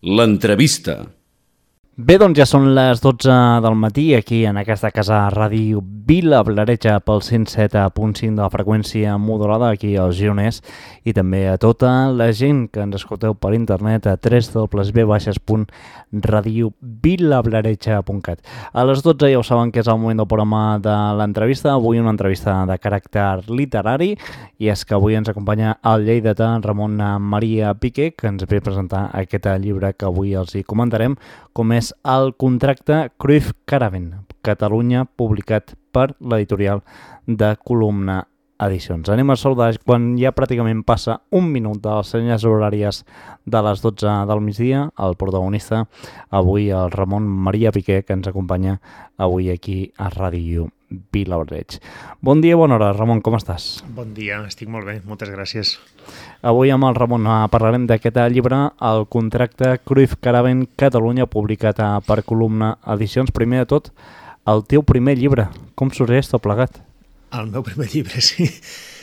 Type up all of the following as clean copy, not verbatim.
L'entrevista. Bé, doncs ja són les 12 del matí aquí en aquesta casa Ràdio Vila Blareja pel 107.5 de la freqüència modulada aquí als Gironès i també a tota la gent que ens escolteu per internet a www.radiobvilablareja.cat. A les 12 ja ho saben que és el moment del programa de l'entrevista. Avui una entrevista de caràcter literari i és que avui ens acompanya el lleidatà Ramon Maria Piqué, que ens ve a presentar aquest llibre que avui els hi comentarem, com és El contracte Cruyff Caravan, Catalunya, publicat per l'editorial de Columna Edicions. Anem a saludar quan ja pràcticament passa un minut de les senyes horàries de les 12 del migdia, el protagonista, avui el Ramon Maria Piqué, que ens acompanya avui aquí a Ràdio Vilaoreig. Bon dia, bona hora, Ramon, com estàs? Bon dia, estic molt bé, moltes gràcies. Avui amb el Ramon parlarem d'aquest llibre, El contracte Cruyff Caravan Catalunya, publicat per Columna Edicions. Primer de tot, el teu primer llibre, com sorgeix tot plegat? El meu primer llibre, sí.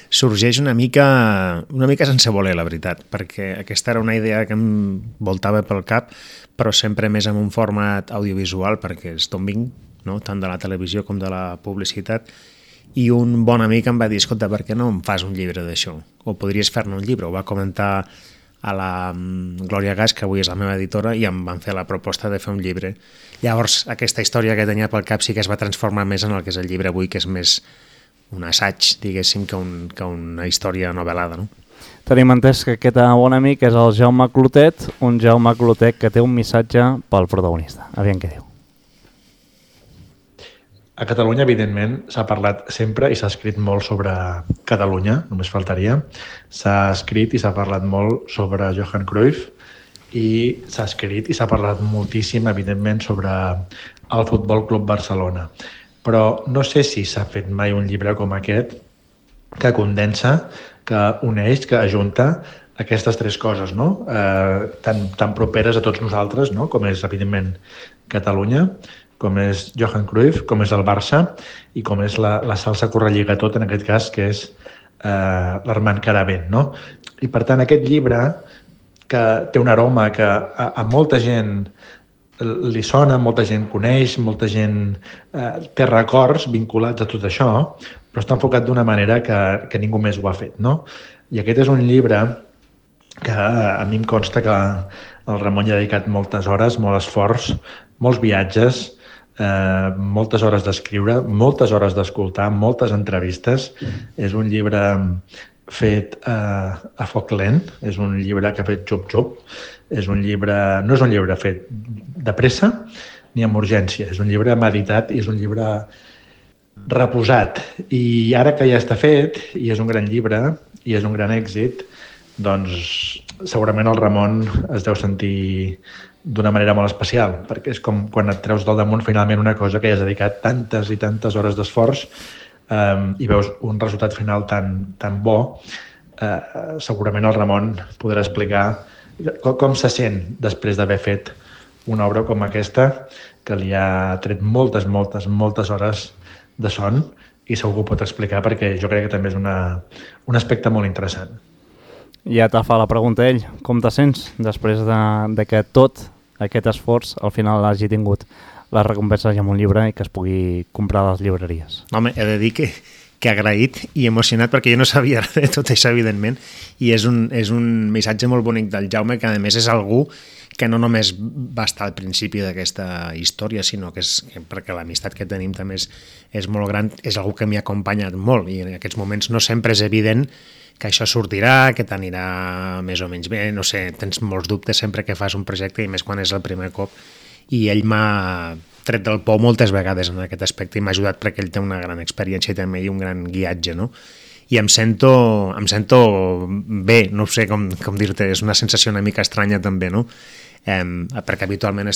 Sorgeix una mica sense voler, la veritat, perquè aquesta era una idea que em voltava pel cap, però sempre més en un format audiovisual, perquè és d'on vinc, no? Tant de la televisió com de la publicitat, i un bon amic em va dir, escolta, per què no em fas un llibre d'això? O podries fer-ne un llibre? Ho va comentar a la Glòria Gas, que avui és la meva editora, i em van fer la proposta de fer un llibre. Llavors, aquesta història que tenia pel cap sí que es va transformar més en el que és el llibre avui, que és més un assaig, diguéssim, que una història novel·lada, no? Tenim entès que aquest bon amic és el Jaume Clotet, un Jaume Clotet que té un missatge pel protagonista. Aviam què diu. A Catalunya, evidentment, s'ha parlat sempre i s'ha escrit molt sobre Catalunya, només faltaria. S'ha escrit i s'ha parlat molt sobre Johan Cruyff i s'ha escrit i s'ha parlat moltíssim, evidentment, sobre el Futbol Club Barcelona. Però no sé si s'ha fet mai un llibre com aquest que condensa, que uneix, que ajunta aquestes tres coses, no? Tan properes a tots nosaltres, no? Com és, evidentment, Catalunya, com és Johan Cruyff, com és el Barça i com és la salsa que ho relliga tot, en aquest cas, que és l'Armand Caravan, no? I, per tant, aquest llibre, que té un aroma que a molta gent li sona, molta gent coneix, molta gent té records vinculats a tot això, però està enfocat d'una manera que ningú més ho ha fet, no? I aquest és un llibre que a mi em consta que el Ramon hi ha dedicat moltes hores, molt esforç, molts viatges, moltes hores d'escriure, moltes hores d'escoltar, moltes entrevistes. És un llibre fet a foc lent, és un llibre que ha fet xup-xup, no és un llibre fet de pressa ni amb urgència, és un llibre meditat i és un llibre reposat. I ara que ja està fet, i és un gran llibre, i és un gran èxit, doncs segurament el Ramon es deu sentir d'una manera molt especial, perquè és com quan et treus del damunt finalment una cosa que ja has dedicat tantes i tantes hores d'esforç i veus un resultat final tan bo. Segurament el Ramon podrà explicar com se sent després d'haver fet una obra com aquesta, que li ha tret moltes hores de son, i segur que ho pot explicar perquè jo crec que també és un aspecte molt interessant. Ja te fa la pregunta ell, com te sents després de que tot aquest esforç al final hagi tingut les recompenses amb un llibre i que es pugui comprar a les llibreries? Home, he de dir que agraït i emocionat, perquè jo no sabia de tot això, evidentment, i és un missatge molt bonic del Jaume, que a més és algú que no només va estar al principi d'aquesta història, sinó que perquè l'amistat que tenim també és molt gran, és algú que m'hi ha acompanyat molt, i en aquests moments no sempre és evident que això sortirà, que t'anirà més o menys bé, no sé, tens molts dubtes sempre que fas un projecte, i més quan és el primer cop, i ell m'ha tret del pou moltes vegades en aquest aspecte i m'ha ajudat perquè ell té una gran experiència i també un gran guiatge, no? I em sento bé, no sé com dir-te, és una sensació una mica estranya també, no? Perquè habitualment he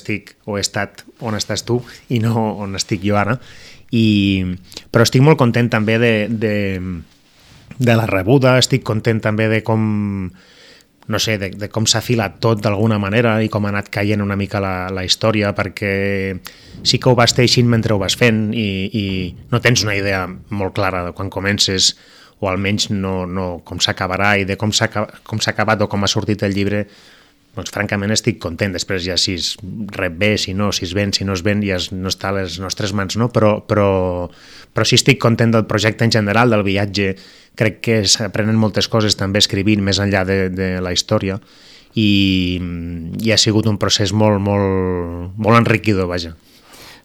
estat on estàs tu i no on estic jo ara, però estic molt content també de la rebuda, estic content també de com, no sé, de com s'ha filat tot d'alguna manera i com ha anat caient una mica la història, perquè sí que ho vas teixint mentre ho vas fent i no tens una idea molt clara de quan comences, o almenys no com s'acabarà, i de com s'ha acabat o com ha sortit el llibre doncs francament estic content. Després ja si es rep bé, si no, si es ven, si no es ven, ja no està a les nostres mans, no? Però sí estic content del projecte en general, del viatge. Crec que s'aprenen moltes coses també escrivint més enllà de la història i ha sigut un procés molt, molt, molt enriquidor, vaja.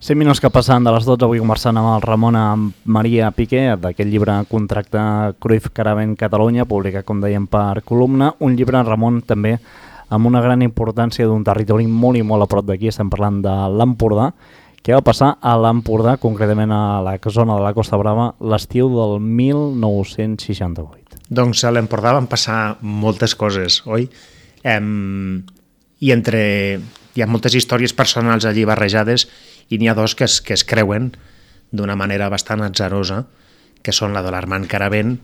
5 minuts que passen de les 12, avui conversant amb el Ramon Maria Piqué, d'aquest llibre Contracte Cruyff Caravent Catalunya, publicat, com dèiem, per Columna. Un llibre, Ramon, també amb una gran importància d'un territori molt i molt a prop d'aquí, estem parlant de l'Empordà. Què va passar a l'Empordà, concretament a la zona de la Costa Brava, l'estiu del 1968? Doncs a l'Empordà van passar moltes coses, oi? I hi ha moltes històries personals allí barrejades i n'hi ha dos que es creuen d'una manera bastant atzarosa, que són la de l'Armand Caravent,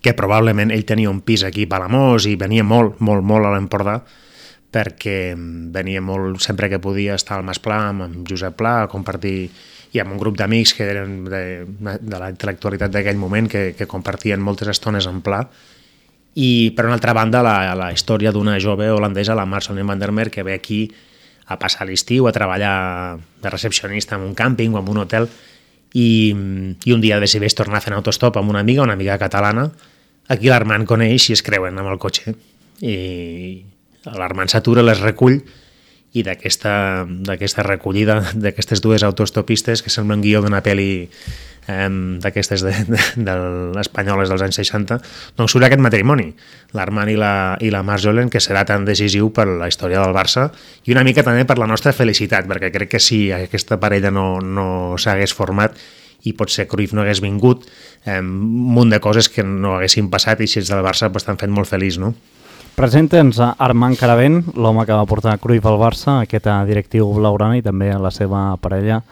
que probablement ell tenia un pis aquí a Palamós i venia molt, molt, molt a l'Empordà, perquè venia molt, sempre que podia, estar al Mas Pla, amb Josep Pla, a compartir, i amb un grup d'amics que eren de la intel·lectualitat d'aquell moment, que compartien moltes estones en Pla. I, per una altra banda, la història d'una jove holandesa, la Marceline van der Merwe, que ve aquí a passar l'estiu, a treballar de recepcionista en un càmping o en un hotel, i un dia decideix tornar a fer un autostop amb una amiga catalana. Aquí l'Armand coneix i es creuen amb el cotxe. I l'Armand s'atura, les recull, i d'aquesta recollida d'aquestes dues autostopistes, que sembla un guió d'una pel·li d'aquestes espanyoles dels anys 60, doncs surt aquest matrimoni, l'Armand i la Marjolaine, que serà tan decisiu per la història del Barça i una mica també per la nostra felicitat, perquè crec que si aquesta parella no s'hagués format i potser Cruyff no hagués vingut, un munt de coses que no haguessin passat i si ets del Barça t'han fet molt feliç, no? Presenta'ns a Armand Caravent, l'home que va portar Cruyff al Barça, aquest directiu blaugrana, i també la seva parella,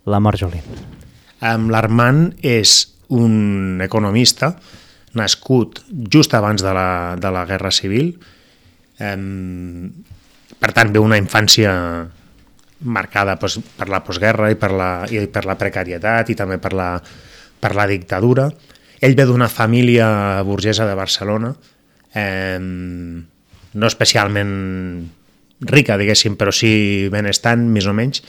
la Marjolaine. L'Armand és un economista nascut just abans de la Guerra Civil. Per tant, ve una infància marcada per la postguerra i per la precarietat i també per la dictadura. Ell ve d'una família burgesa de Barcelona, no especialment rica, diguéssim, però sí benestant, més o menys.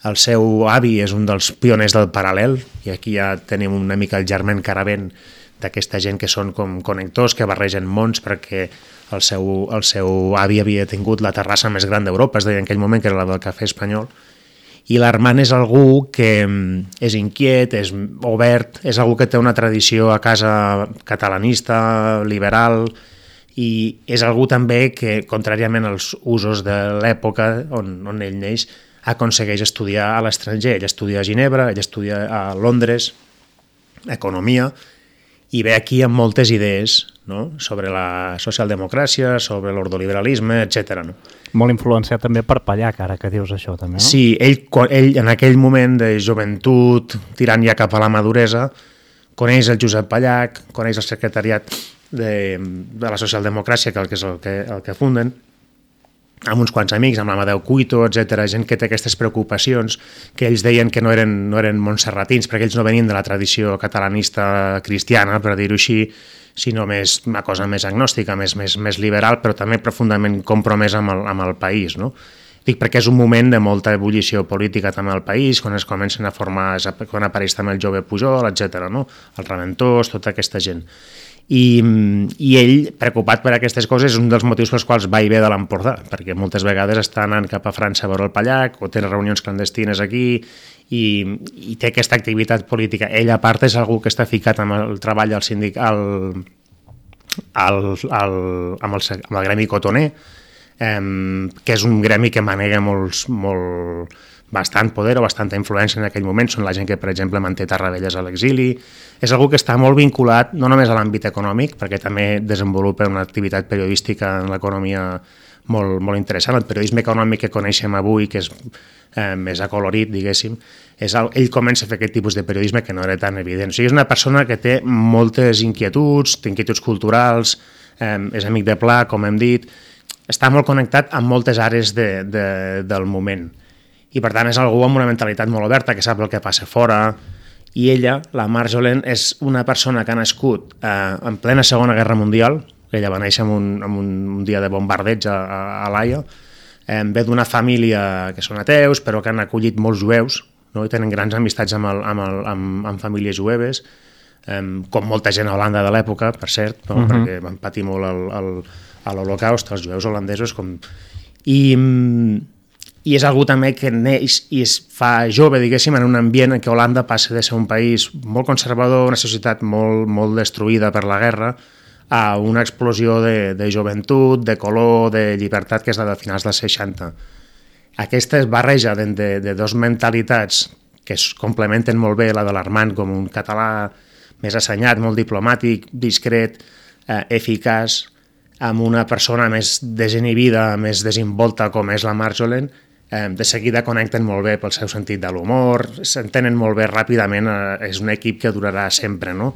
El seu avi és un dels pioners del paral·lel, i aquí ja tenim una mica el germen Caravent d'aquesta gent que són com connectors, que barregen mons, perquè el seu avi havia tingut la terrassa més gran d'Europa, es deia en aquell moment, que era la del Cafè Espanyol, i l'Armand és algú que és inquiet, és obert, és algú que té una tradició a casa catalanista, liberal, i és algú també que, contràriament als usos de l'època on ell neix, aconsegueix estudiar a l'estranger. Ell estudia a Ginebra, ell estudia a Londres, economia, i ve aquí amb moltes idees, no?, sobre la socialdemocràcia, sobre l'ordoliberalisme, etc. No? Molt influenciat també per Pallac, ara que dius això, també, no? Sí, ell en aquell moment de joventut, tirant ja cap a la maduresa, coneix el Josep Pallac, coneix el secretariat de la socialdemocràcia, que és el que funden, amb uns quants amics, amb l'Amadeu Cuito, etc., gent que té aquestes preocupacions, que ells deien que no eren montserratins, perquè ells no venien de la tradició catalanista cristiana, per dir-ho així, sinó una cosa més agnòstica, més liberal, però també profundament compromesa amb el país, no? Dic perquè és un moment de molta ebullició política també al país, quan es comencen a formar, quan apareix també el jove Pujol, etc., no? Els Raventós, tota aquesta gent. I ell, preocupat per aquestes coses, és un dels motius pels quals va i ve de l'Empordà, perquè moltes vegades està anant cap a França a veure el Pallac, o té reunions clandestines aquí, i té aquesta activitat política. Ell, a part, és algú que està ficat amb el treball al sindicat, amb el gremi cotoner, que és un gremi que manega bastant poder o bastanta influència en aquell moment. Són la gent que, per exemple, manté Tarradellas a l'exili. És algú que està molt vinculat no només a l'àmbit econòmic, perquè també desenvolupa una activitat periodística en l'economia molt, molt interessant. El periodisme econòmic que coneixem avui, que és més acolorit, diguéssim, ell comença a fer aquest tipus de periodisme que no era tan evident. O sigui, és una persona que té moltes inquietuds, té inquietuds culturals, és amic de Pla, com hem dit, està molt connectat amb moltes àrees del moment. I, per tant, és algú amb una mentalitat molt oberta, que sap el que passa fora. I ella, la Marjolaine, és una persona que ha nascut en plena Segona Guerra Mundial, ella va néixer en un dia de bombardeig a l'Haia. Ve d'una família que són ateus, però que han acollit molts jueus, no? I tenen grans amistats amb famílies jueves, com molta gent a Holanda de l'època, per cert, no? Perquè van patir molt a l'Holocaust, els jueus holandesos. I és algú també que neix i es fa jove, diguéssim, en un ambient en què Holanda passa de ser un país molt conservador, una societat molt, molt destruïda per la guerra, a una explosió de joventut, de color, de llibertat, que és la de finals dels 60. Aquesta es barreja de dos mentalitats que es complementen molt bé, la de l'Armand com un català més assenyat, molt diplomàtic, discret, eficaç, amb una persona més desinhibida, més desinvolta com és la Marjolaine. De seguida connecten molt bé pel seu sentit de l'humor, s'entenen molt bé ràpidament, és un equip que durarà sempre, no?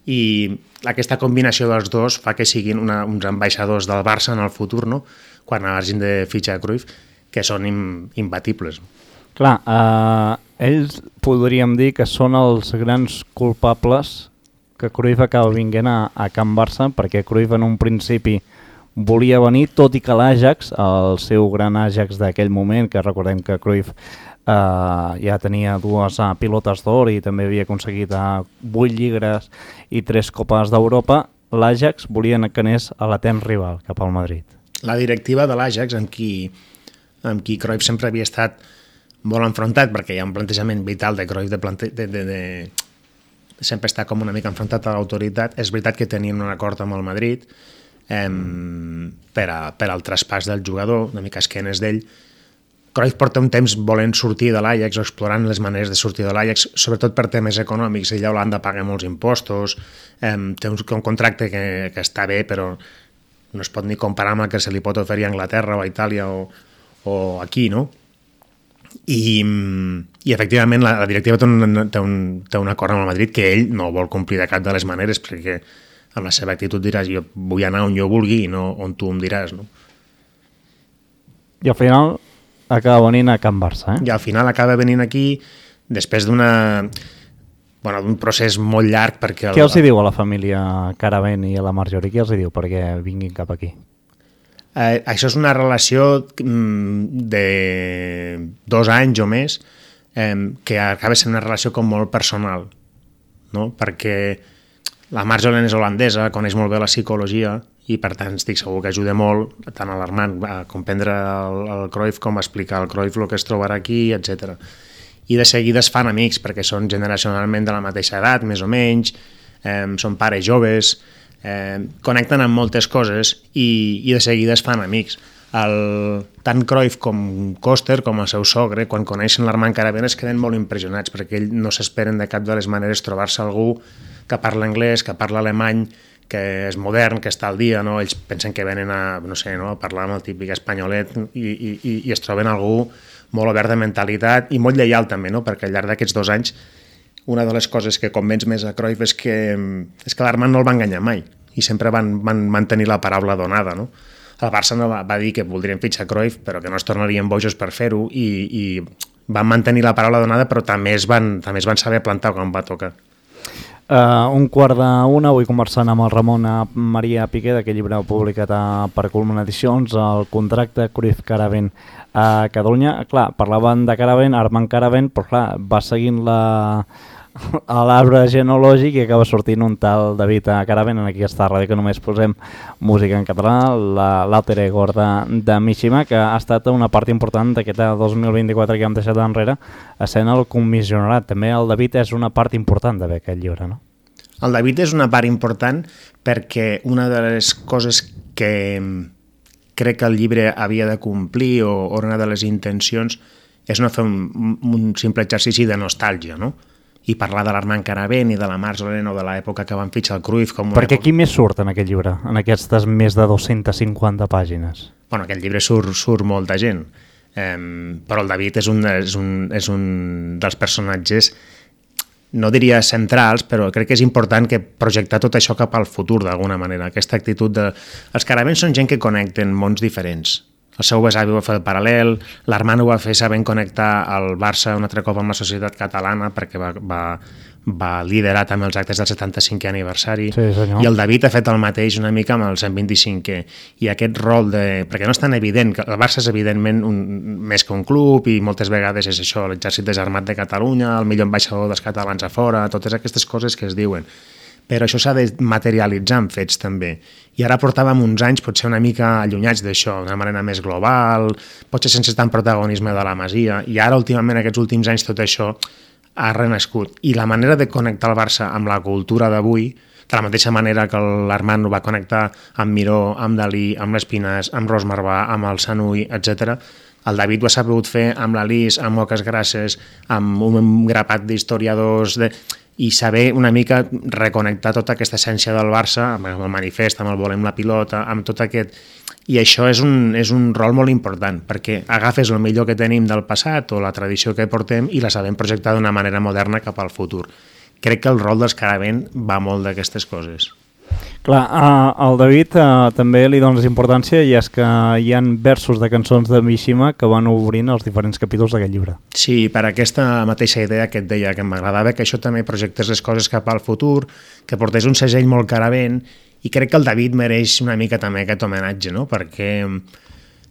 I aquesta combinació dels dos fa que siguin uns ambaixadors del Barça en el futur, no? Quan hagin de fitxar Cruyff, que són imbatibles. Clar, ells podríem dir que són els grans culpables que Cruyff acaba vinguent a Can Barça, perquè Cruyff en un principi volia venir, tot i que l'Ajax, el seu gran Ajax d'aquell moment, que recordem que Cruyff ja tenia 2 pilotes d'or i també havia aconseguit 8 lligues i 3 copes d'Europa, l'Ajax volia que anés a l'etern rival, cap al Madrid. La directiva de l'Ajax, amb qui Cruyff sempre havia estat molt enfrontat, perquè hi ha un plantejament vital de Cruyff de sempre està com una mica enfrontat a l'autoritat. És veritat que tenien un acord amb el Madrid per al traspàs del jugador, una mica esquenes d'ell. Cruyff porta un temps volent sortir de l'Ajax o explorant les maneres de sortir de l'Ajax, sobretot per temes econòmics. Ell a Holanda paga molts impostos, té un contracte que està bé, però no es pot ni comparar amb el que se li pot oferir a Anglaterra o a Itàlia o aquí, no? I efectivament la directiva té un acord amb el Madrid que ell no vol complir de cap de les maneres, perquè amb la seva actitud diràs jo vull anar on jo vulgui i no on tu em diràs, no? I al final acaba venint a Can Barça, I al final acaba venint aquí després d'un procés molt llarg, perquè... Què els hi diu a la família Caravent i a la Marjorie? Què els hi diu perquè vinguin cap aquí? Això és una relació de 2 anys o més que acaba sent una relació com molt personal, no? Perquè la Marjolaine és holandesa, coneix molt bé la psicologia i per tant estic segur que ajuda molt tant a l'Armand a comprendre el Cruyff com a explicar al Cruyff el que es trobarà aquí, etc. I de seguida es fan amics perquè són generacionalment de la mateixa edat, més o menys, són pares joves, connecten amb moltes coses i de seguida es fan amics. Tant Cruyff com Koster, com el seu sogre, quan coneixen l'Armand Caravent es queden molt impressionats perquè ells no s'esperen de cap de les maneres trobar-se algú que parla anglès, que parla alemany, que és modern, que està al dia, no? Ells pensen que venen a parlar amb el típic espanyolet i es troben algú molt obert de mentalitat i molt lleial també, no? Perquè al llarg d'aquests 2 anys una de les coses que convenç més a Cruyff és que l'Armand no el va enganyar mai i sempre van mantenir la paraula donada, no? El Barça no va dir que voldrien fitxar Cruyff però que no es tornarien bojos per fer-ho i van mantenir la paraula donada però també es van saber plantar quan va tocar. 1:45, avui conversant amb el Ramon Maria Piqué d'aquest llibre publicat per Culmen Edicions, el contracte Cruyff Caravent a Catalunya. Clar, parlaven de Caravent, Armand Caravent, però clar, va seguint l'arbre genealògic i acaba sortint un tal David Caravent en aquesta ràdio que només posem música en català, l'alter ego de Mishima, que ha estat una part important d'aquest 2024 que hem deixat enrere, essent el comissionarat. També el David és una part important d'haver aquest llibre, no? El David és una part important perquè una de les coses que crec que el llibre havia de complir o una de les intencions és no fer un simple exercici de nostàlgia, no? I parlar de l'Armand Caravent i de la Marjolaine o de l'època que van fitxar el Cruyff com una Perquè qui més surt en aquest llibre, en aquestes més de 250 pàgines? Bueno, aquest llibre surt molta gent, però el David és un dels personatges, no diria centrals, però crec que és important que projectar tot això cap al futur d'alguna manera. Aquesta actitud de... Els Caravents són gent que connecten mons diferents. el seu besavi va fer el paral·lel, l'Armand ho va fer sabent connectar el Barça un altre cop amb la societat catalana perquè va liderar també els actes del 75è aniversari, Sí, senyor. i el David ha fet el mateix una mica amb el 125è, i aquest rol perquè no és tan evident, que el Barça és evidentment més que un club, i moltes vegades és això, l'exèrcit desarmat de Catalunya, el millor ambaixador dels catalans a fora, totes aquestes coses que es diuen, però això s'ha de materialitzar en fets també, i ara portàvem uns anys potser una mica allunyats d'això, d'una manera més global, potser sense tant protagonisme de la Masia, i ara últimament, aquests últims anys, tot això ha renascut, i la manera de connectar el Barça amb la cultura d'avui, de la mateixa manera que l'Armand ho va connectar amb Miró, amb Dalí, amb l'Espinàs, amb Ros Marbà, amb el Sanui, etc. El David ho ha sabut fer amb l'Alice, amb Oques Grasses, amb un grapat d'historiadors, i saber una mica reconnectar tota aquesta essència del Barça amb el manifest, amb el volem la pilota, amb tot aquest... I això és un rol molt important, perquè agafes el millor que tenim del passat o la tradició que portem i la sabem projectar d'una manera moderna cap al futur. Crec que el rol dels Caravent va molt d'aquestes coses. Clar, al David també li dones importància, i és que hi han versos de cançons de Mishima que van obrint els diferents capítols d'aquest llibre. Sí, per aquesta mateixa idea que et deia, que m'agradava que això també projectés les coses cap al futur, que portés un segell molt Caravent, i crec que el David mereix una mica també aquest homenatge, no? Perquè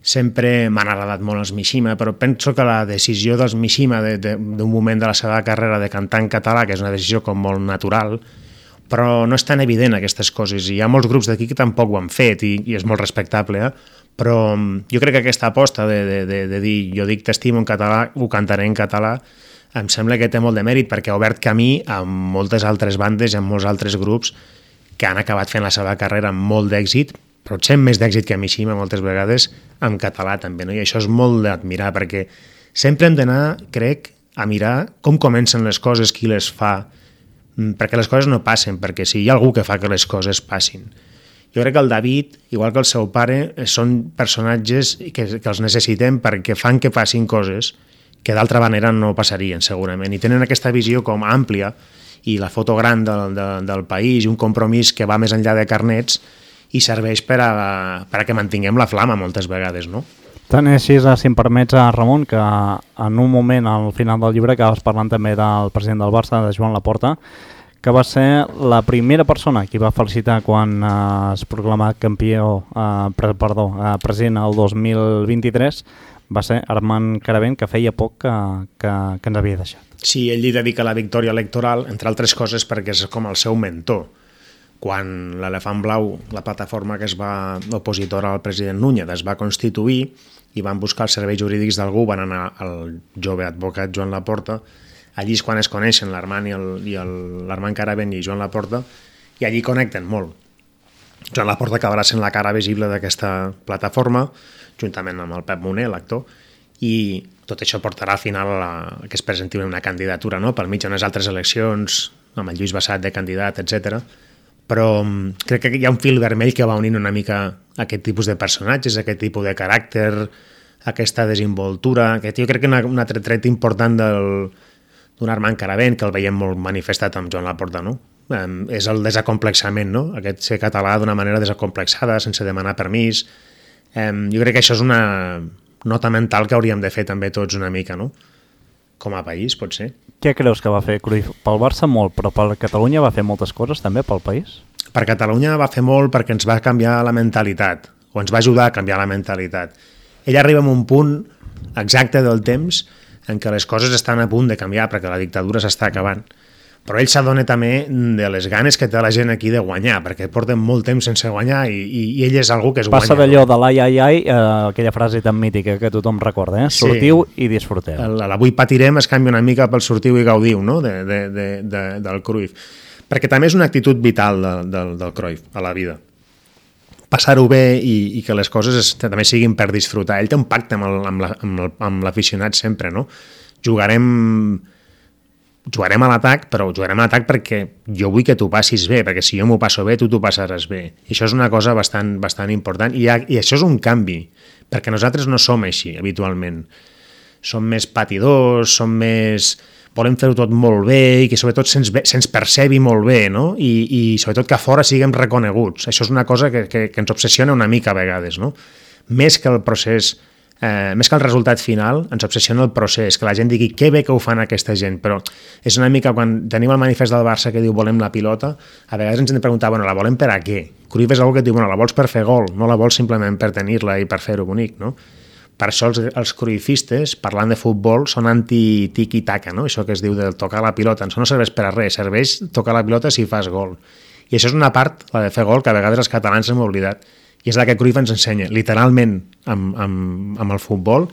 sempre m'han agradat molt els Mishima, però penso que la decisió dels Mishima d'un moment de la seva carrera de cantar en català, que és una decisió com molt natural, però no és tan evident aquestes coses, i hi ha molts grups d'aquí que tampoc ho han fet, i és molt respectable, però jo crec que aquesta aposta de dir jo dic t'estimo en català, ho cantaré en català, em sembla que té molt de mèrit, perquè ha obert camí a moltes altres bandes i a molts altres grups que han acabat fent la seva carrera amb molt d'èxit, potser més d'èxit que Mishima moltes vegades, en català també, no? I això és molt d'admirar, perquè sempre hem d'anar, crec, a mirar com comencen les coses, qui les fa, perquè les coses no passen, perquè si hi ha algú que fa que les coses passin. Jo crec que el David, igual que el seu pare, són personatges que els necessitem perquè fan que passin coses que d'altra manera no passarien, segurament, i tenen aquesta visió com àmplia, i la foto gran del país, i un compromís que va més enllà de carnets, i serveix per a que mantinguem la flama moltes vegades, no? Tant és així, si em permets, Ramon, que en un moment, al final del llibre, acabes parlant també del president del Barça, de Joan Laporta, que va ser la primera persona que va felicitar quan es proclamà president el 2023, va ser Armand Caravent, que feia poc que ens havia deixat. Sí, ell li dedica la victòria electoral, entre altres coses perquè és com el seu mentor. Quan l'Elefant Blau, la plataforma que es va opositora al president Núñez, es va constituir i van buscar els serveis jurídics d'algú, van anar al jove advocat Joan Laporta, allí és quan es coneixen l'Armand l'Armand Caravent i Joan Laporta, i allí connecten molt. Joan Laporta acabarà sent la cara visible d'aquesta plataforma, juntament amb el Pep Moner, l'actor, i tot això portarà al final que es presenti una candidatura, no? Pel mig d'unes altres eleccions, amb el Lluís Bassat de candidat, etc. Però crec que hi ha un fil vermell que va unint una mica aquest tipus de personatges, aquest tipus de caràcter, aquesta desenvoltura, que jo crec que un altre tret important d'un Armand Caravent, que el veiem molt manifestat amb Joan Laporta, no? És el desacomplexament, no? Aquest ser català d'una manera desacomplexada, sense demanar permís. Jo crec que això és una nota mental que hauríem de fer també tots una mica, no? Com a país, potser. Què creus que va fer Cruyff? Pel Barça molt, però per Catalunya va fer moltes coses també pel país? Per Catalunya va fer molt perquè ens va canviar la mentalitat, o ens va ajudar a canviar la mentalitat. Ell arriba a un punt exacte del temps en què les coses estan a punt de canviar perquè la dictadura s'està acabant. Però ell s'adona també de les ganes que té la gent aquí de guanyar, perquè porten molt temps sense guanyar i ell és algú que es guanya. Passa d'allò de l'ai, ai, ai, aquella frase tan mítica que tothom recorda, sortiu i disfruteu. L'avui patirem es canvia una mica pel sortiu i gaudiu, no? Del Cruyff. Perquè també és una actitud vital del Cruyff a la vida. Passar-ho bé i que les coses també siguin per disfrutar. Ell té un pacte amb l'aficionat sempre, no? Jugarem a l'atac, però jugarem a l'atac perquè jo vull que tu passis bé, perquè si jo m'ho passo bé, tu t'ho passaràs bé. I això és una cosa bastant important, i això és un canvi, perquè nosaltres no som així habitualment. Som més patidors, volem fer-ho tot molt bé i que sobretot se'ns percebi molt bé, no? I sobretot que a fora siguem reconeguts. Això és una cosa que ens obsessiona una mica a vegades, no? més que el procés, més que el resultat final, ens obsessiona el procés, que la gent digui que bé que ho fan aquesta gent, però és una mica quan tenim el manifest del Barça que diu volem la pilota, a vegades ens hem de preguntar, bueno, la volem per a què? Cruyff és algú que diu, bueno, la vols per fer gol, no la vols simplement per tenir-la i per fer-ho bonic, no? Per això els cruifistes, parlant de futbol, són anti-tiki-taka, no? Això que es diu de tocar la pilota. Això no serveix per a res, serveix tocar la pilota si fas gol. I això és una part, la de fer gol, que a vegades els catalans hem oblidat. I és la que Cruyff ens ensenya, literalment, amb el futbol,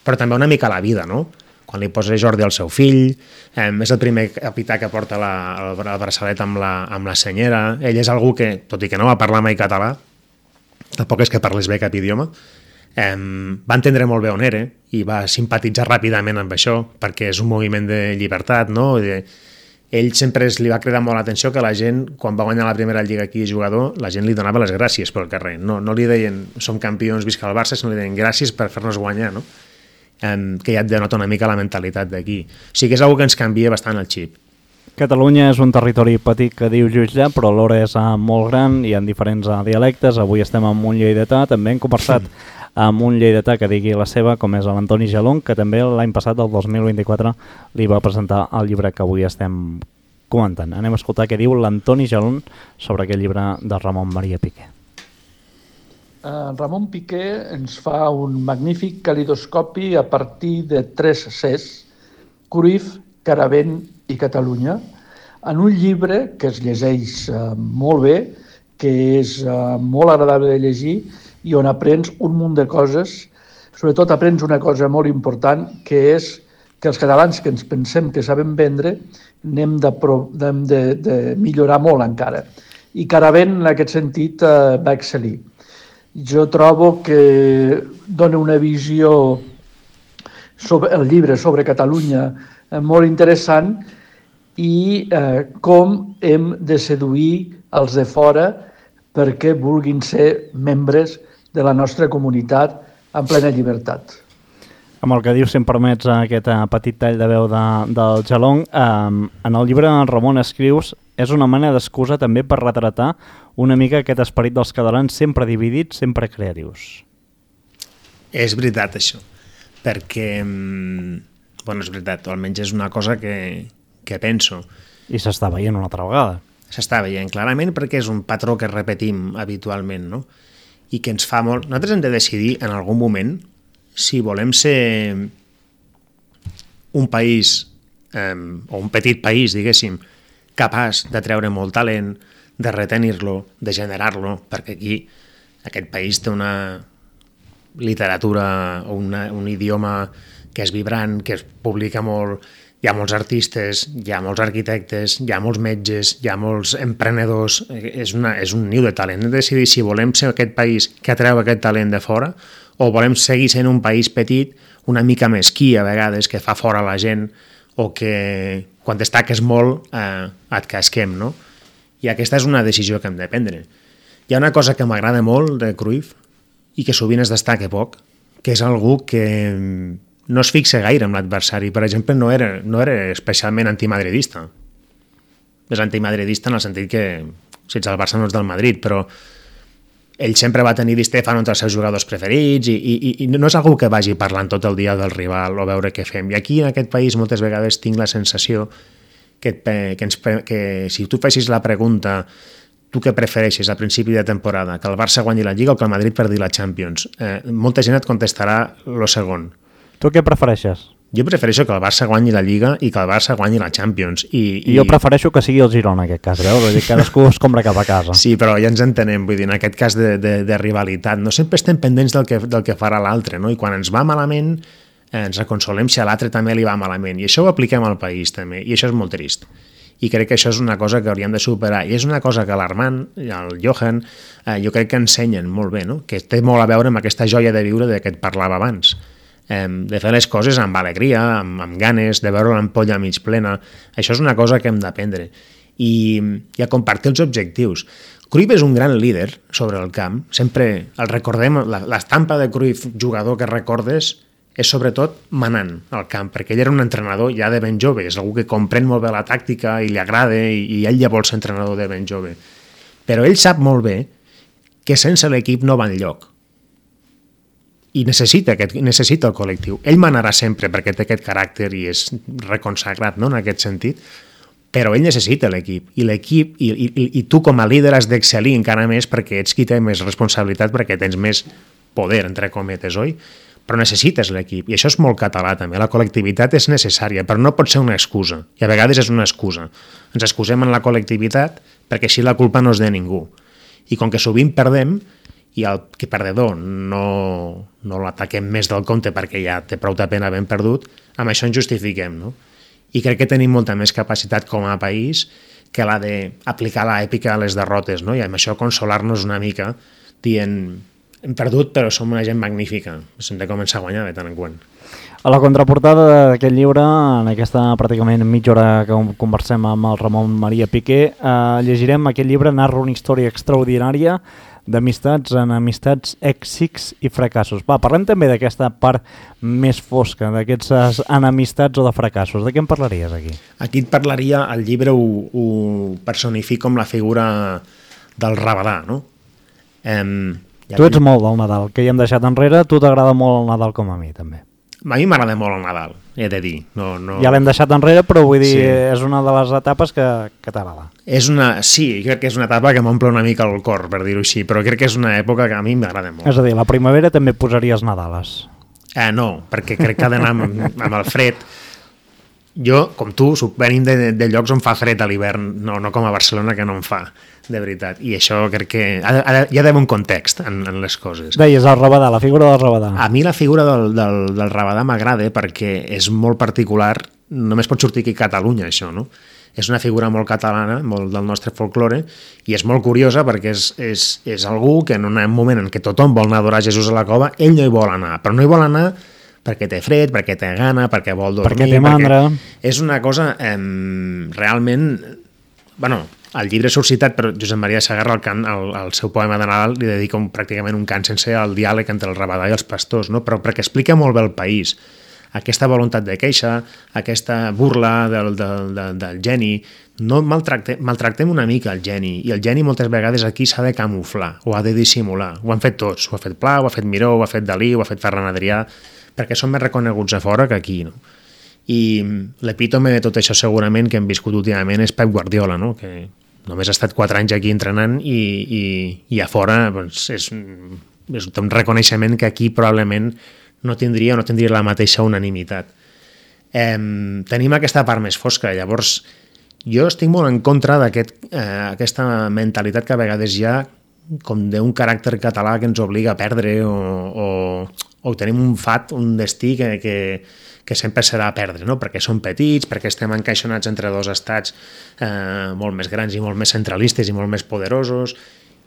però també una mica a la vida, no? Quan li posa Jordi al seu fill, és el primer capità que porta el braçalet amb la senyera, ell és algú que, tot i que no va parlar mai català, tampoc és que parles bé cap idioma, va entendre molt bé on era i va simpatitzar ràpidament amb això perquè és un moviment de llibertat, no? Ell sempre li va cridar molt l'atenció que la gent, quan va guanyar la primera lliga aquí de jugador, la gent li donava les gràcies pel carrer, no li deien som campions, visca el Barça, sinó li deien gràcies per fer-nos guanyar, no? Que ja et denota una mica la mentalitat d'aquí. O sigui que és una que ens canvia bastant el xip. Catalunya és un territori petit que diu Jutge, però alhora és molt gran, hi ha diferents dialectes. Avui estem amb un lleidatà, també hem conversat amb un lleidatà que digui la seva, com és l'Antoni Jalón, que també l'any passat, el 2024, li va presentar el llibre que avui estem comentant. Anem a escoltar què diu l'Antoni Jalón sobre aquest llibre de Ramon Maria Piqué. Ramon Piqué ens fa un magnífic calidoscopi a partir de 3 Cs, Cruyff, Caravent i Catalunya, en un llibre que es llegeix molt bé, que és molt agradable de llegir i on aprens un munt de coses. Sobretot aprens una cosa molt important, que és que els catalans que ens pensem que sabem vendre n'hem de millorar molt encara. I Caravent, en aquest sentit, va excel·lir. Jo trobo que dona una visió sobre el llibre sobre Catalunya molt interessant i com hem de seduir els de fora perquè vulguin ser membres de la nostra comunitat en plena llibertat. Amb el que dius, si em permets aquest petit tall de veu del Jalón, en el llibre Ramon escrius és una mena d'excusa també per retratar una mica aquest esperit dels catalans sempre dividits, sempre creatius. És veritat això, perquè bueno, és veritat, o almenys és una cosa que penso. I s'està veient una altra vegada. S'està veient clarament perquè és un patró que repetim habitualment, no? I que ens fa molt... Nosaltres hem de decidir en algun moment si volem ser un país, o un petit país, diguéssim, capaç de treure molt talent, de retenir-lo, de generar-lo, perquè aquí aquest país té una literatura o un idioma que és vibrant, que es publica molt, hi ha molts artistes, hi ha molts arquitectes, hi ha molts metges, hi ha molts emprenedors, és un niu de talent. Hem de decidir si volem ser aquest país que atreu aquest talent de fora o volem seguir sent un país petit, una mica mesquí a vegades, que fa fora la gent o que quan destaques molt et casquem, no? I aquesta és una decisió que hem de prendre. Hi ha una cosa que m'agrada molt de Cruyff i que sovint es destaca poc, que és algú que no es fixa gaire amb l'adversari. Per exemple, no era especialment antimadridista. És antimadridista en el sentit que, si ets el Barça no ets del Madrid, però ell sempre va tenir Di Stefano entre els seus jugadors preferits i no és algú que vagi parlant tot el dia del rival o veure què fem. I aquí, en aquest país, moltes vegades tinc la sensació que si tu fessis la pregunta tu què prefereixes a principi de temporada, que el Barça guanyi la Lliga o que el Madrid perdi la Champions, molta gent et contestarà lo segon. Tu què prefereixes? Jo prefereixo que el Barça guanyi la Lliga i que el Barça guanyi la Champions. I jo prefereixo que sigui el Girona, en aquest cas, veus? Vull dir, cadascú es compra cap a casa. Sí, però ja ens entenem, vull dir, en aquest cas de rivalitat. No sempre estem pendents del que farà l'altre, no? I quan ens va malament, ens reconsolem si a l'altre també li va malament. I això ho apliquem al país, també, i això és molt trist. I crec que això és una cosa que hauríem de superar. I és una cosa que l'Armand, el Johan, jo crec que ensenyen molt bé, no? Que té molt a veure amb aquesta joia de viure de què et parlava abans. De fer les coses amb alegria, amb ganes, de veure l'ampolla mig plena. Això és una cosa que hem d'aprendre. I a compartir els objectius. Cruyff és un gran líder sobre el camp. Sempre el recordem, l'estampa de Cruyff, jugador que recordes, és sobretot manant al camp, perquè ell era un entrenador ja de ben jove, és algú que comprèn molt bé la tàctica i li agrada i ell ja vol ser entrenador de ben jove. Però ell sap molt bé que sense l'equip no va enlloc. i necessita el col·lectiu. Ell manarà sempre perquè té aquest caràcter i és reconsagrat, no?, en aquest sentit, però ell necessita l'equip, i tu com a líder has d'excel·lir encara més perquè ets qui té més responsabilitat, perquè tens més poder, entre cometes, oi? Però necessites l'equip, i això és molt català també. La col·lectivitat és necessària, però no pot ser una excusa, i a vegades és una excusa. Ens excusem en la col·lectivitat perquè així la culpa no és de ningú. I com que sovint perdem, i el que perdedor no l'ataquem més del compte perquè ja té prou de pena ben perdut, amb això ens justifiquem, no? I crec que tenim molta més capacitat com a país que la d'aplicar l'èpica a les derrotes, no? I amb això consolar-nos una mica dient hem perdut però som una gent magnífica, hem de començar a guanyar de tant en quant. A la contraportada d'aquest llibre, en aquesta pràcticament mitja hora que conversem amb el Ramon Maria Piqué, llegirem aquest llibre, narra una història extraordinària d'amistats, enamistats, èxits i fracassos. Va, parlem també d'aquesta part més fosca, d'aquests enemistats o de fracassos. De què en parlaries aquí? Aquí et parlaria, el llibre ho personifica com la figura del rabadà, no? Tu ets molt del Nadal, que ja hem deixat enrere. Tu t'agrada molt el Nadal com a mi, també. A mi m'agrada molt el Nadal, he de dir. No... Ja l'hem deixat enrere, però vull dir, és una de les etapes que t'agrada. Sí, crec que és una etapa que m'omple una mica el cor, per dir-ho així, però crec que és una època que a mi m'agrada molt. És a dir, la primavera també posaries Nadales. No, perquè crec que ha d'anar amb el fred. Jo, com tu, venim de llocs on fa fred a l'hivern, no com a Barcelona, que no en fa, de veritat. I això crec que hi ha d'haver un context en les coses. Deies el rabadà, la figura del rabadà. A mi la figura del rabadà m'agrada perquè és molt particular, només pot sortir aquí a Catalunya, això, no? És una figura molt catalana, molt del nostre folklore, i és molt curiosa perquè és algú que en un moment en què tothom vol anar a adorar Jesús a la cova, ell no hi vol anar, però no hi vol anar perquè té fred, perquè té gana, perquè vol dormir... Perquè té mandra. És una cosa realment... Bueno, el llibre és suscitat per Josep Maria Sagarra, al seu poema de Nadal, li dedica pràcticament un cant sencer al diàleg entre el rabadà i els pastors, no? Però perquè explica molt bé el país. Aquesta voluntat de queixa, aquesta burla del geni... No maltractem una mica el geni, i el geni moltes vegades aquí s'ha de camuflar, o ha de dissimular. Ho han fet tots, ho ha fet Pla, ho ha fet Miró, ho ha fet Dalí, ho ha fet Ferran Adrià, perquè són més reconeguts a fora que aquí, no? I l'epítome de tot això segurament que hem viscut últimament és Pep Guardiola, no? Que només ha estat 4 anys aquí entrenant i a fora doncs, és un reconeixement que aquí probablement no tindria la mateixa unanimitat. Tenim aquesta part més fosca, llavors jo estic molt en contra d'aquesta mentalitat que a vegades hi ha com d'un caràcter català que ens obliga a perdre o tenim un fat, un destí que sempre serà a perdre, no? Perquè som petits, perquè estem encaixonats entre dos estats molt més grans i molt més centralistes i molt més poderosos,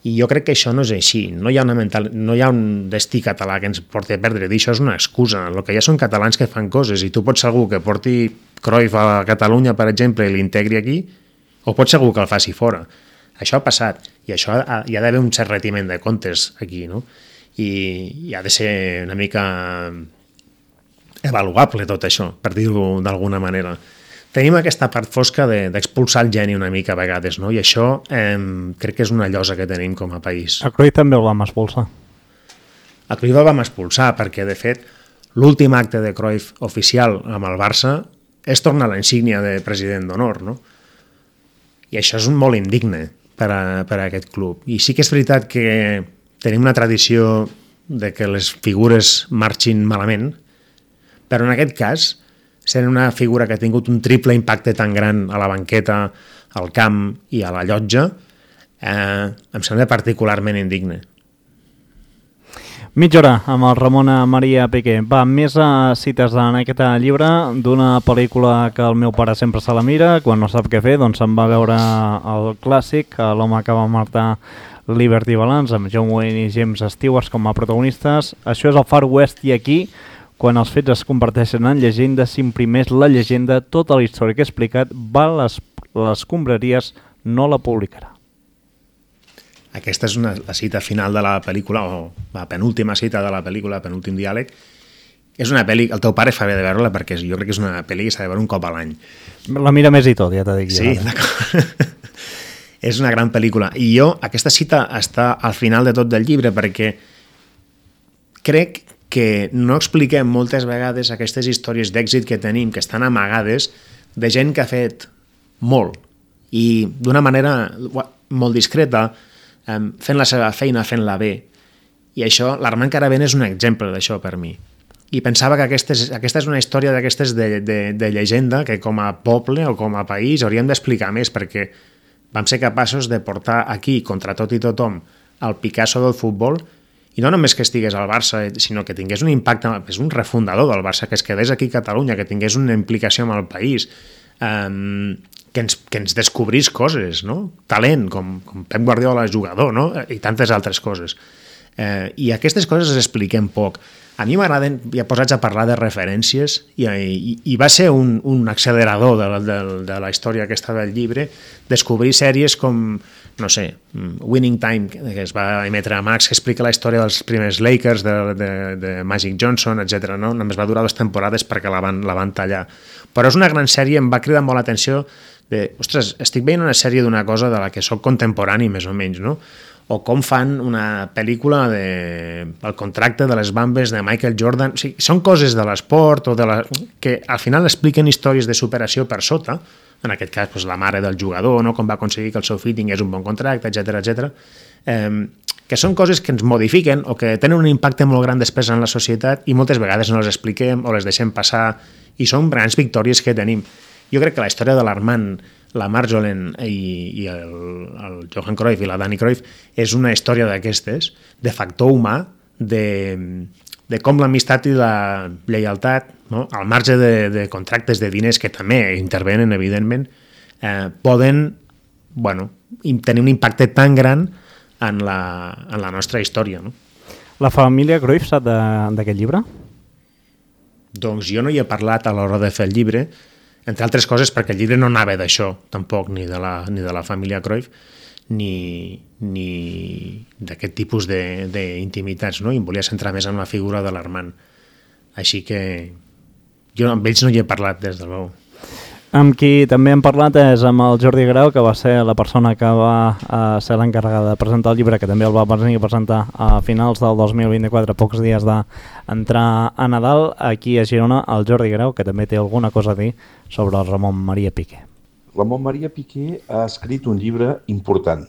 i jo crec que això no és així. No hi ha un destí català que ens porti a perdre, això és una excusa. El que hi ha són catalans que fan coses, i tu pots ser algú que porti Cruyff a Catalunya, per exemple, i l'integri aquí, o pots ser algú que el faci fora. Això ha passat, i això hi ha d'haver un cert retiment de comptes aquí, no? I ha de ser una mica avaluable tot això, per dir-ho d'alguna manera. Tenim aquesta part fosca d'expulsar el geni una mica a vegades, no? I això crec que és una llosa que tenim com a país. A Cruyff també el vam expulsar. A Cruyff el vam expulsar perquè, de fet, l'últim acte de Cruyff oficial amb el Barça és tornar a la insígnia de president d'honor, no? I això és molt indigne per a aquest club. I sí que és veritat que tenim una tradició de que les figures marxin malament, però en aquest cas, sent una figura que ha tingut un triple impacte tan gran a la banqueta, al camp i a la llotja, em sembla particularment indigne. Mitja hora amb el Ramon Maria Piqué. Va, més cites en aquest llibre d'una pel·lícula que el meu pare sempre se la mira, quan no sap què fer, doncs se'n va veure el clàssic, l'home que va matar Liberty Balance, amb John Wayne i James Stewart com a protagonistes. Això és el Far West, i aquí, quan els fets es converteixen en llegenda, s'imprimeix la llegenda, tota la història que he explicat, va a les escombraries, no la publicarà. Aquesta és la cita final de la pel·lícula, o la penúltima cita de la pel·lícula, el penúltim diàleg. És una pel·li, el teu pare fa bé de veure-la perquè jo crec que és una pel·li que s'ha de veure un cop a l'any. La mira més i tot, ja t'ho dic. Sí, d'acord. És una gran pel·lícula. I aquesta cita està al final de tot del llibre perquè crec que no expliquem moltes vegades aquestes històries d'èxit que tenim, que estan amagades, de gent que ha fet molt i d'una manera molt discreta, fent la seva feina, fent-la bé. I això, l'Armand Caravent és un exemple d'això per mi. I pensava que aquesta és una història d'aquestes de llegenda que com a poble o com a país hauríem d'explicar més, perquè vam ser capaços de portar aquí, contra tot i tothom, el Picasso del futbol, i no només que estigués al Barça, sinó que tingués un impacte, és un refundador del Barça, que es quedés aquí a Catalunya, que tingués una implicació amb el país, que ens descobrís coses, no? Talent, com Pep Guardiola jugador, no? I tantes altres coses. I aquestes coses les expliquem poc. A mi m'agraden, ja posats a parlar de referències, i va ser un accelerador de la història aquesta del llibre, descobrir sèries com, no sé, Winning Time, que es va emetre a Max, que explica la història dels primers Lakers, de Magic Johnson, etc. No? Només va durar 2 temporades perquè la van tallar. Però és una gran sèrie, em va cridar molt l'atenció de, ostres, estic veient una sèrie d'una cosa de la que sóc contemporani, més o menys, no? O com fan una pel·lícula el contracte de les bambes de Michael Jordan. O sigui, són coses de l'esport que al final expliquen històries de superació per sota, en aquest cas doncs, la mare del jugador, no? Com va aconseguir que el seu fill tingués un bon contracte, etc. Que són coses que ens modifiquen o que tenen un impacte molt gran després en la societat i moltes vegades no les expliquem o les deixem passar i són grans victòries que tenim. Jo crec que la història de l'Armand, la Marjolaine i el Johan Cruyff i la Dani Cruyff és una història d'aquestes, de factor humà, de com l'amistat i la lleialtat, no? Al marge de contractes de diners que també intervenen, evidentment, poden tenir un impacte tan gran en la nostra història. No? La família Cruyff sap d'aquest llibre? Doncs jo no hi he parlat a l'hora de fer el llibre, entre altres coses perquè el llibre no anava d'això, tampoc, ni de la família Cruyff, ni d'aquest tipus d'intimitats, no? I em volia centrar més en la figura de l'Armand. Així que jo amb ells no hi he parlat, des de l'ou. Amb qui també hem parlat és amb el Jordi Grau, que va ser la persona que va ser l'encarregada de presentar el llibre, que també el va presentar a finals del 2024, pocs dies d'entrar a Nadal, aquí a Girona, el Jordi Grau, que també té alguna cosa a dir sobre el Ramon Maria Piqué. Ramon Maria Piqué ha escrit un llibre important,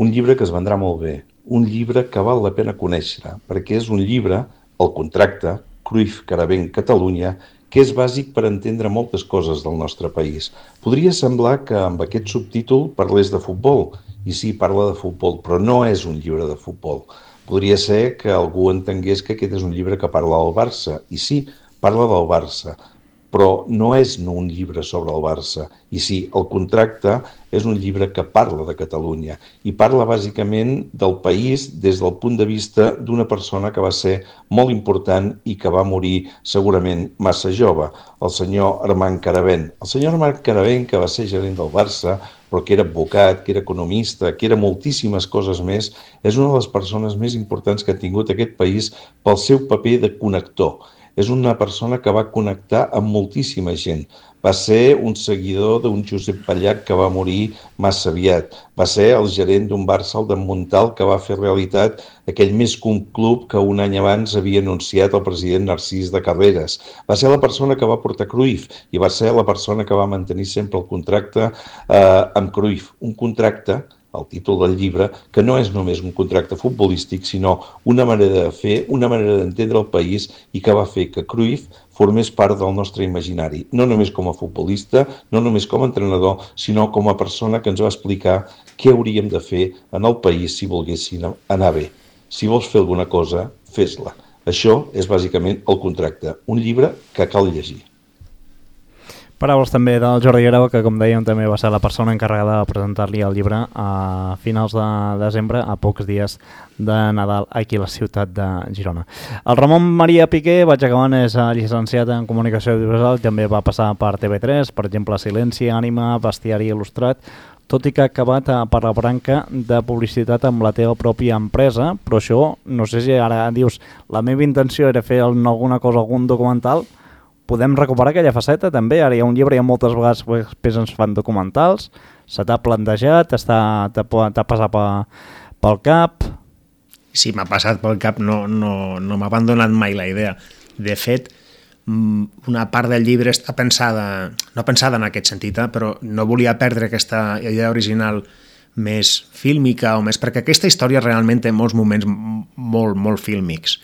un llibre que es vendrà molt bé, un llibre que val la pena conèixer, perquè és un llibre, el contracte, Cruyff, Caravent, Catalunya, que és bàsic per entendre moltes coses del nostre país. Podria semblar que amb aquest subtítol parlés de futbol, i sí, parla de futbol, però no és un llibre de futbol. Podria ser que algú entengués que aquest és un llibre que parla del Barça, i sí, parla del Barça, però no és un llibre sobre el Barça. I sí, el contracte és un llibre que parla de Catalunya i parla bàsicament del país des del punt de vista d'una persona que va ser molt important i que va morir segurament massa jove, el senyor Armand Caravent. El senyor Armand Caravent, que va ser gerent del Barça, però que era advocat, que era economista, que era moltíssimes coses més, és una de les persones més importants que ha tingut aquest país pel seu paper de connector. És una persona que va connectar amb moltíssima gent. Va ser un seguidor d'un Josep Pallach que va morir massa aviat. Va ser el gerent d'un Barça, el d'en Montal, que va fer realitat aquell més que un club que un any abans havia anunciat el president Narcís de Carreras. Va ser la persona que va portar Cruyff i va ser la persona que va mantenir sempre el contracte amb Cruyff. Un contracte, el títol del llibre, que no és només un contracte futbolístic, sinó una manera de fer, una manera d'entendre el país i que va fer que Cruyff formés part del nostre imaginari, no només com a futbolista, no només com a entrenador, sinó com a persona que ens va explicar què hauríem de fer en el país si volguessin anar bé. Si vols fer alguna cosa, fes-la. Això és bàsicament el contracte, un llibre que cal llegir. Paraules també del Jordi Grau, que com dèiem també va ser la persona encarregada de presentar-li el llibre a finals de desembre, a pocs dies de Nadal, aquí a la ciutat de Girona. El Ramon Maria Piqué, vaig acabant, és llicenciat en Comunicació Audiovisual, també va passar per TV3, per exemple Silenci, Ànima, Bestiari Il·lustrat, tot i que ha acabat per la branca de publicitat amb la teva pròpia empresa, però això, no sé si ara dius, la meva intenció era fer alguna cosa, algun documental. Podem recuperar aquella faceta també? Ara hi ha un llibre i moltes vegades després ens fan documentals. Se t'ha plantejat? T'ha passat pel cap? Sí, m'ha passat pel cap, no m'ha abandonat mai la idea. De fet, una part del llibre està pensada, no pensada en aquest sentit, però no volia perdre aquesta idea original més fílmica o més... Perquè aquesta història realment té molts moments molt fílmics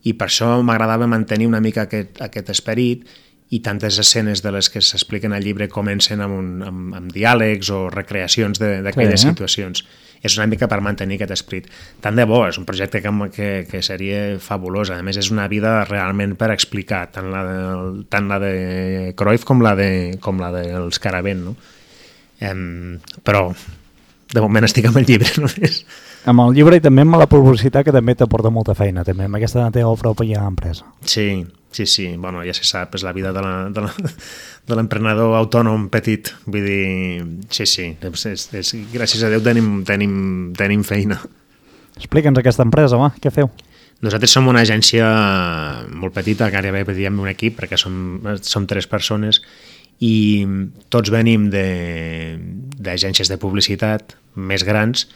i per això m'agradava mantenir una mica aquest esperit i tantes escenes de les que s'expliquen al llibre comencen amb diàlegs o recreacions d'aquelles situacions. És una mica per mantenir aquest esperit. Tant de bo, és un projecte que seria fabulós. A més, és una vida realment per explicar, tant la de Cruyff com la dels Caravent, no? Però, de moment, estic amb el llibre només. Amb el llibre i també amb la publicitat, que també t'aporta molta feina, també, amb aquesta teva pròpia empresa. Sí. Bueno, ja se sap, és la vida de l'emprenedor autònom petit. Vull dir, sí. Gràcies a Déu tenim feina. Explica'ns aquesta empresa, va, què feu? Nosaltres som una agència molt petita, gairebé diem un equip, perquè som 3 persones i tots venim d'agències de publicitat més grans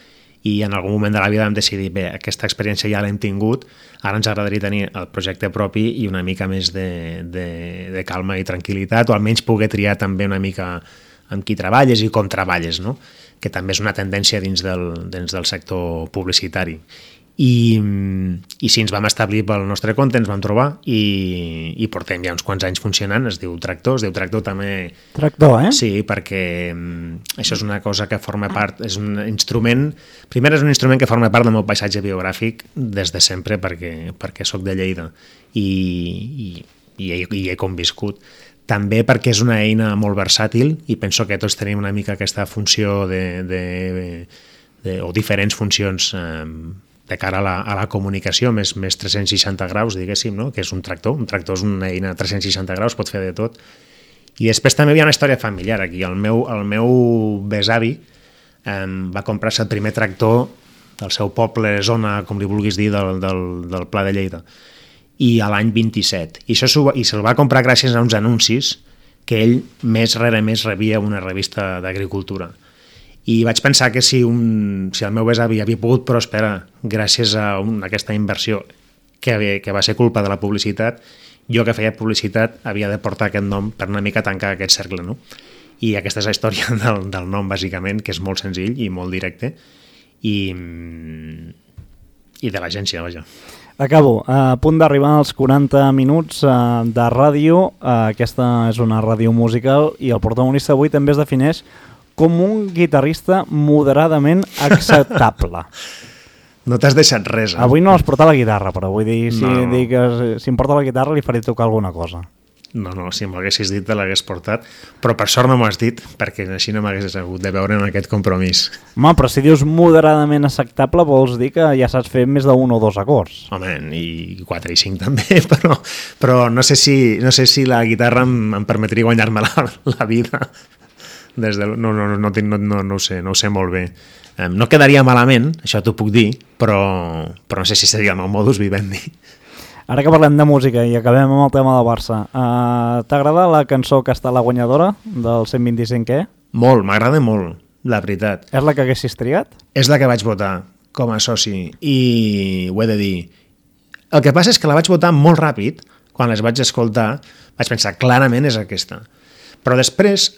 i en algun moment de la vida vam decidir, bé, aquesta experiència ja l'hem tingut, ara ens agradaria tenir el projecte propi i una mica més de calma i tranquil·litat, o almenys poder triar també una mica amb qui treballes i com treballes, no? Que també és una tendència dins del sector publicitari. I sí, ens vam establir pel nostre compte, ens vam trobar i portem ja uns quants anys funcionant. Es diu Tractor també... Tractor, eh? Sí, perquè això és una cosa que forma part, és un instrument, primer és un instrument que forma part del meu paisatge biogràfic des de sempre perquè soc de Lleida i he conviscut. També perquè és una eina molt versàtil i penso que tots tenim una mica aquesta funció o diferents funcions de cara a la comunicació més 360 graus, diguéssim, no? Que és un tractor. Un tractor és una eina 360 graus, pot fer de tot. I després també hi ha una història familiar aquí. El meu besavi va comprar-se el primer tractor del seu poble, zona, com li vulguis dir, del Pla de Lleida, i a l'any 27. I se'l va comprar gràcies a uns anuncis que ell més rere més rebia una revista d'agricultura. I vaig pensar que si el meu besavi havia pogut prosperar gràcies a aquesta inversió que va ser culpa de la publicitat, jo que feia publicitat havia de portar aquest nom per una mica tancar aquest cercle, no? I aquesta és la història del nom, bàsicament, que és molt senzill i molt directe, i de l'agència, vaja. Acabo. A punt d'arribar als 40 minuts de ràdio. Aquesta és una ràdio musical i el protagonista avui també es defineix com un guitarrista moderadament acceptable. No t'has deixat res, eh? Avui no has portat la guitarra, però vull dir, si em porta la guitarra li faré tocar alguna cosa. No, si m'haguessis dit te l'hagués portat, però per sort no m'ho has dit, perquè així no m'hagués hagut de veure en aquest compromís. Home, però si dius moderadament acceptable vols dir que ja saps fer més d'un o dos acords. Ho i 4 i 5 també, però no sé si la guitarra em permetria guanyar-me la vida. No ho sé molt bé. No quedaria malament, això t'ho puc dir, però no sé si seria el meu modus vivendi. Ara que parlem de música i acabem amb el tema del Barça, t'agrada la cançó que està la guanyadora del 125è? Molt, m'agrada molt, la veritat. És la que haguessis triat? És la que vaig votar com a soci i ho he de dir. El que passa és que la vaig votar molt ràpid, quan les vaig escoltar vaig pensar clarament és aquesta. Però després,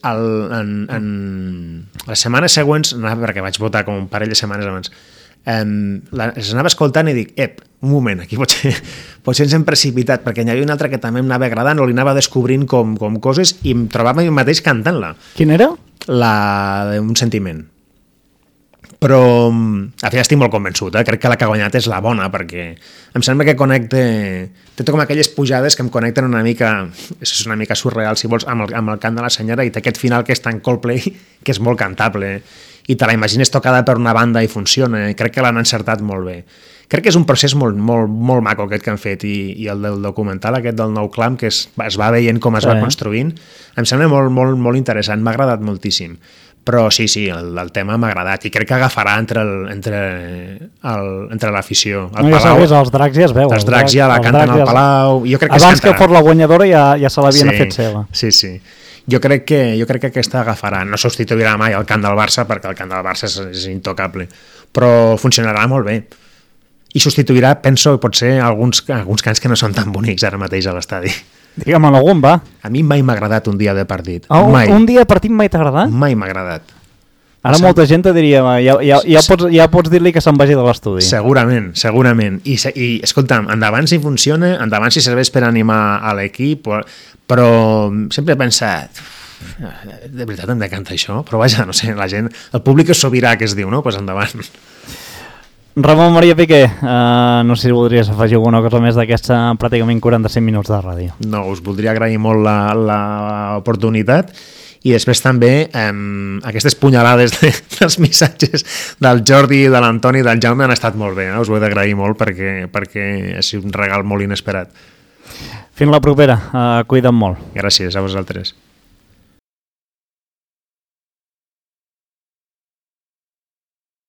les setmanes següents, perquè vaig votar com un parell de setmanes abans, les anava escoltant i dic, un moment, aquí potser ens hem precipitat, perquè n'hi havia una altra que també em anava agradant o li anava descobrint com coses i em trobava jo mateix cantant-la. Quina era? La d'un sentiment. Però al final estic molt convençut, crec que la que ha guanyat és la bona, perquè em sembla que té com aquelles pujades que em connecten una mica, és una mica surreal si vols, amb el cant de la senyora, i té aquest final que és tan Coldplay que és molt cantable i te la imagines tocada per una banda i funciona, i crec que l'han encertat molt bé. Crec que és un procés molt maco aquest que han fet, i el del documental aquest del Nou Clam, que es va veient com es va construint, em sembla molt interessant, m'ha agradat moltíssim. Però sí, el tema m'ha agradat i crec que agafarà entre l'afició. No, ja sabés, els dracs ja es veuen. Els dracs ja la canten al Palau. Abans que fos la guanyadora ja se l'havien fet seva. Sí. Jo crec que aquesta agafarà. No substituirà mai el cant del Barça, perquè el cant del Barça és intocable, però funcionarà molt bé. i substituirà, penso, potser alguns cants que no són tan bonics ara mateix a l'estadi. Digue'm algun, va. A mi mai m'ha agradat un dia de partit. Mai. Un dia de partit mai t'ha agradat? Mai m'ha agradat. Ara molta gent te diria, ja pots dir-li que se'n vagi de l'estudi. Segurament. I escolta'm, endavant si funciona, endavant si serveix per animar a l'equip, però sempre he pensat, de veritat em decanta això? Però vaja, no sé, la gent, el públic és sobirà, que es diu, no? Pues endavant. Ramon Maria Piqué, no sé si voldries afegir alguna cosa més d'aquests pràcticament 45 minuts de ràdio. No, us voldria agrair molt l'oportunitat i després també aquestes punyalades dels missatges del Jordi, de l'Antoni i del Jaume han estat molt bé, us ho he d'agrair molt perquè ha sigut un regal molt inesperat. Fins la propera, cuida't molt. Gràcies a vosaltres.